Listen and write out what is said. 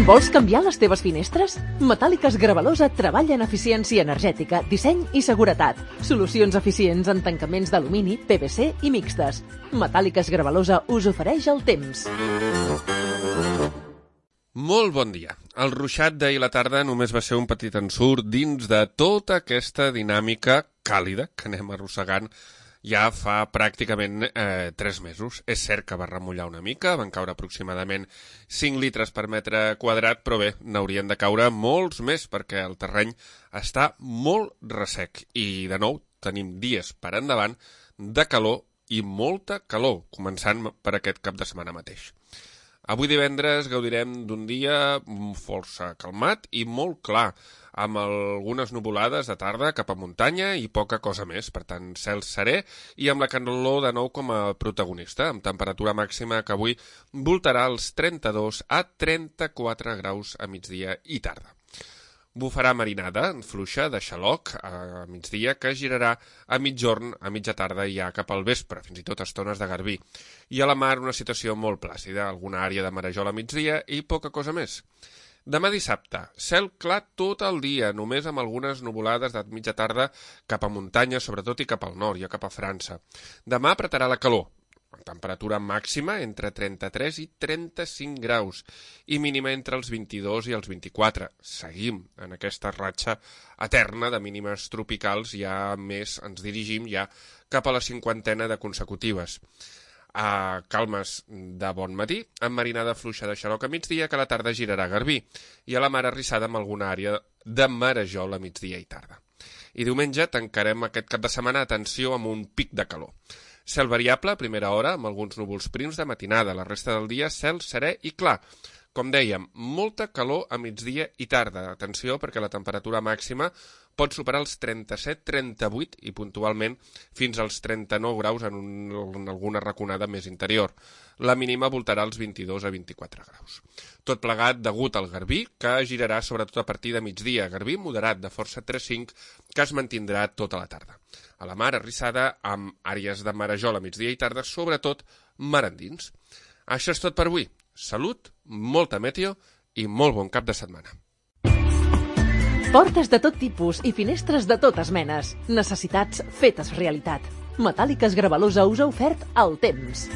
Vols canviar les teves finestres? Metàl·liques Gravalosa treballa en eficiència energètica, disseny i seguretat. Solucions eficients en tancaments d'alumini, PVC i mixtes. Metàl·liques Gravalosa us ofereix el temps. Molt bon dia. El ruixat d'ahir la tarda només va ser un petit ensurt dins de tota aquesta dinàmica càlida que anem arrossegant ja fa pràcticament 3 mesos. És cert que va remullar una mica, van caure aproximadament 5 litres per metre quadrat, però bé, n'haurien de caure molts més perquè el terreny està molt ressec. I de nou tenim dies per endavant de calor i molta calor, començant per aquest cap de setmana mateix. Avui divendres gaudirem d'un dia força calmat i molt clar, amb algunes nuvolades de tarda cap a muntanya i poca cosa més. Per tant, cel serè i amb la calor de nou com a protagonista, amb temperatura màxima que avui voltarà els 32 a 34 graus a migdia i tarda. Bufarà marinada fluixa de xaloc a migdia que girarà a mitjorn, a mitja tarda i ja cap al vespre, fins i tot estones de garbí. I a la mar una situació molt plàcida, alguna àrea de marejol a migdia i poca cosa més. Demà dissabte, cel clar tot el dia, només amb algunes nuvolades de mitja tarda cap a muntanya, sobretot i cap al nord, ja cap a França. Demà apretarà la calor. Temperatura màxima entre 33 i 35 graus i mínima entre els 22 i els 24. Seguim en aquesta ratxa eterna de mínimes tropicals, ja més ens dirigim ja cap a la 50ena de consecutives. Calmes de bon matí, amb marinada fluixa de xaloc a migdia que a la tarda girarà a Garbí i a la mar arrissada amb alguna àrea de marejol a migdia i tarda. I diumenge tancarem aquest cap de setmana, atenció, amb un pic de calor. Cel variable a primera hora, amb alguns núvols prims de matinada. La resta del dia, cel serè i clar. Com dèiem, molta calor a migdia i tarda. Atenció, perquè la temperatura màxima pot superar els 37-38 i puntualment fins als 39 graus en alguna raconada més interior. La mínima voltarà als 22 a 24 graus. Tot plegat degut al garbí, que girarà sobretot a partir de migdia. Garbí moderat de força 3-5, que es mantindrà tota la tarda. A la mar arrissada amb àrees de marejol a migdia i tarda, sobretot mar endins. Això és tot per avui. Salut, molta meteo i molt bon cap de setmana. Portes de tot tipus i finestres de totes menes. Necessitats fetes realitat. Metàl·liques Gravalosa us ha ofert el temps.